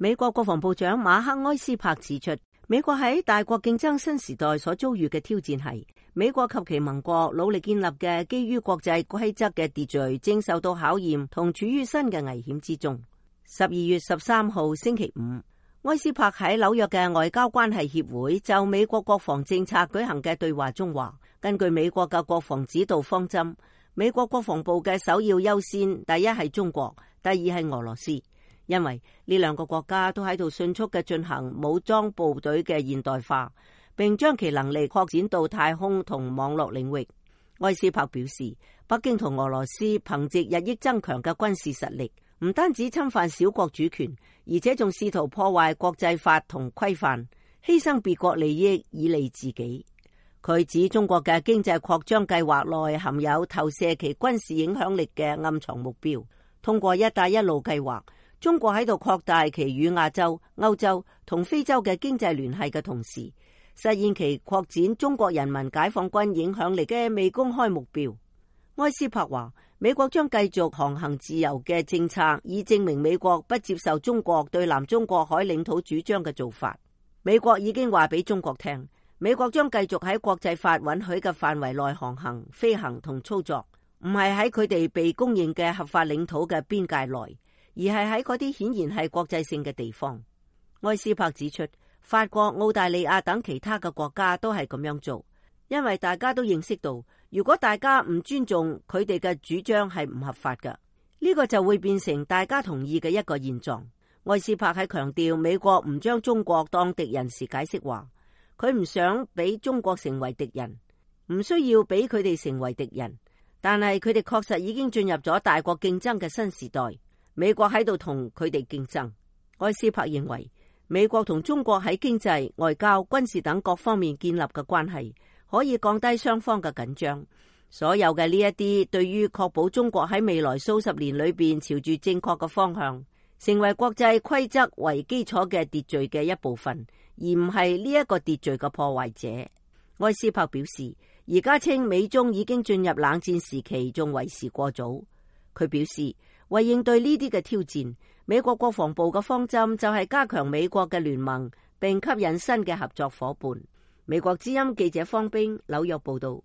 美國國防部長馬克埃斯珀指出，美國喺大國競爭新時代所遭遇嘅挑戰係美國及其盟國努力建立嘅基於國際規則嘅秩序正受到考驗同處於新嘅危險之中。12月13號星期五，埃斯珀喺紐約嘅外交關係協會就美國國防政策舉行嘅對話中話，根據美國嘅國防指導方針，美國國防部嘅首要優先，第一係中國，第二係俄羅斯。因為呢兩個國家都喺度迅速嘅進行武裝部隊嘅現代化，並將其能力擴展到太空同網絡領域。埃斯珀表示，北京同俄羅斯憑借日益增強嘅軍事實力，唔單止侵犯小國主權，而且仲試圖破壞國際法同規範，犧牲別國利益以利自己。佢指中國嘅經濟擴張計劃內含有投射其軍事影響力嘅暗藏目標。通過一帶一路計劃，中國喺度擴大其與亞洲、歐洲同非洲嘅經濟聯繫嘅同時，實現其擴展中國人民解放軍影響力嘅未公開目標。埃斯珀話，美國將繼續航行自由嘅政策，以證明美國不接受中國對南中國海領土主張嘅做法。美國已經話俾中國聽，美國將繼續喺國際法允許嘅範圍內航行、飛行同操作，唔係喺佢哋被公認嘅合法領土嘅邊界內，而係喺嗰啲顯然係國際性嘅地方。埃斯珀指出，法國、澳大利亞等其他嘅國家都係咁樣做，因為大家都認識到，如果大家唔尊重佢哋嘅主張係唔合法嘅，呢個就會變成大家同意嘅一個現狀。埃斯珀喺強調美國唔將中國當敵人時解釋話，佢唔想俾中國成為敵人，唔需要俾佢哋成為敵人，但係佢哋確實已經進入咗大國競爭嘅新時代，美國喺度同佢哋競爭。埃斯珀認為，美國同中國喺經濟、外交、軍事等各方面建立嘅關係，可以降低雙方嘅緊張。所有嘅呢一啲，對於確保中國喺未來數十年裏邊朝住正確嘅方向，成為國際規則為基礎嘅秩序嘅一部分，而唔係呢一個秩序嘅破壞者。埃斯珀表示，而家稱美中已經進入冷戰時期，仲為時過早。佢表示，為應對呢啲嘅挑戰，美國國防部嘅方針就係加強美國嘅聯盟，並吸引新嘅合作夥伴。美國之音記者方冰紐約報道。